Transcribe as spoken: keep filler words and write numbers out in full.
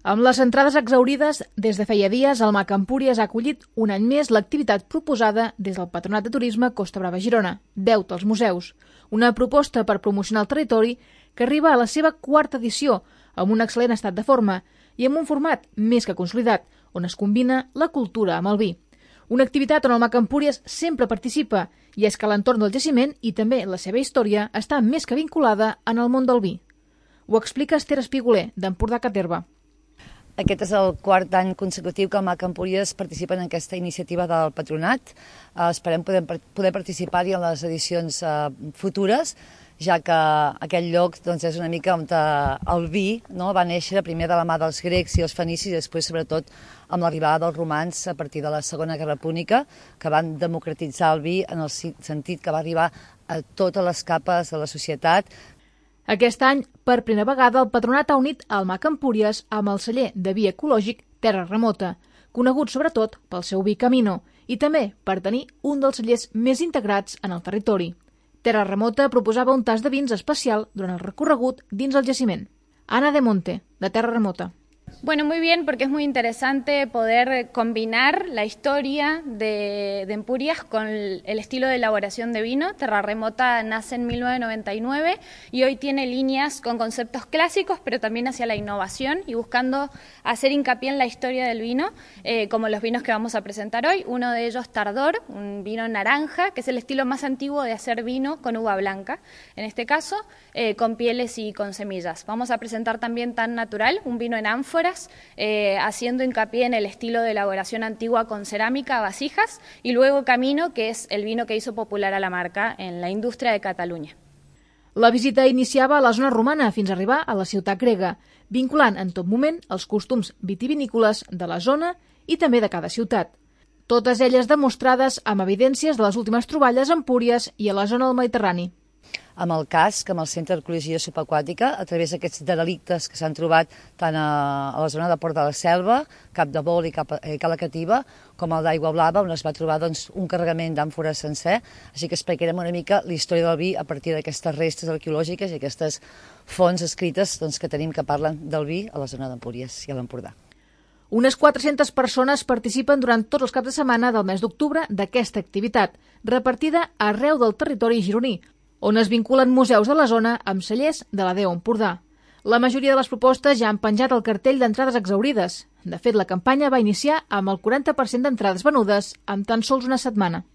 Amb les entrades exhaurides, des de feia dies, el MAC Empúries ha acollit un any més l'activitat proposada des del Patronat de Turisme Costa Brava Girona, Deute als Museus, una proposta per promocionar el territori que arriba a la seva quarta edició, amb un excel·lent estat de forma i amb un format més que consolidat, on es combina la cultura amb el vi. Una activitat on el MAC Empúries sempre participa, i és que l'entorn del jaciment i també la seva història està més que vinculada en el món del vi. Ho explica Esther Espiguler, d'Empordà Caterva. Aquest és el quart any consecutiu que el MAC Empúries participa en aquesta iniciativa del Patronat. Esperem poder, poder participar-hi en les edicions futures, ja que aquest lloc doncs, és una mica on el vi no, va néixer primer de la mà dels grecs i els fenicis i després, sobretot, amb l'arribada dels romans a partir de la Segona Guerra Púnica, que van democratitzar el vi en el sentit que va arribar a totes les capes de la societat. Aquest any, per primera vegada, el Patronat ha unit el MAC Empúries amb el celler de vi ecològic Terra Remota, conegut sobretot pel seu vi Camino, i també per tenir un dels cellers més integrats en el territori. Terra Remota proposava un tas de vins especial durant el recorregut dins el jaciment. Ana de Monte, de Terra Remota. Bueno, muy bien, porque es muy interesante poder combinar la historia de, de Empúries con el, el estilo de elaboración de vino. Terra Remota nace en mil novecientos noventa y nueve y hoy tiene líneas con conceptos clásicos, pero también hacia la innovación y buscando hacer hincapié en la historia del vino, eh, como los vinos que vamos a presentar hoy. Uno de ellos, Tardor, un vino naranja, que es el estilo más antiguo de hacer vino con uva blanca, en este caso eh, con pieles y con semillas. Vamos a presentar también Tan Natural, un vino en ánfora, Eh, haciendo hincapié en el estilo de elaboración antigua con cerámica, vasijas, y luego Camino, que es el vino que hizo popular a la marca en la indústria de Catalunya. La visita iniciava a la zona romana fins a arribar a la ciutat grega, vinculant en tot moment els costums vitivinícoles de la zona i també de cada ciutat. Totes elles demostrades amb evidències de les últimes troballes a Empúries i a la zona del Mediterrani. Amb el casc, amb el Centre d'Arqueologia Subaquàtica, a través d'aquests derelictes que s'han trobat tant a, a la zona de Port de la Selva, Cap de Bol i Cap, eh, Cala Cativa, com el d'Aigua Blava, on es va trobar doncs, un carregament d'àmfores sencer. Així que explicarem una mica la història del vi a partir d'aquestes restes arqueològiques i aquestes fonts escrites doncs, que tenim que parlen del vi a la zona d'Empúries i a l'Empordà. Unes quatre-centes persones participen durant tots els caps de setmana del mes d'octubre d'aquesta activitat, repartida arreu del territori gironí, on es vinculen museus de la zona amb cellers de la Déu Empordà. La majoria de les propostes ja han penjat el cartell d'entrades exhaurides. De fet, la campanya va iniciar amb el quaranta per cent d'entrades venudes en tan sols una setmana.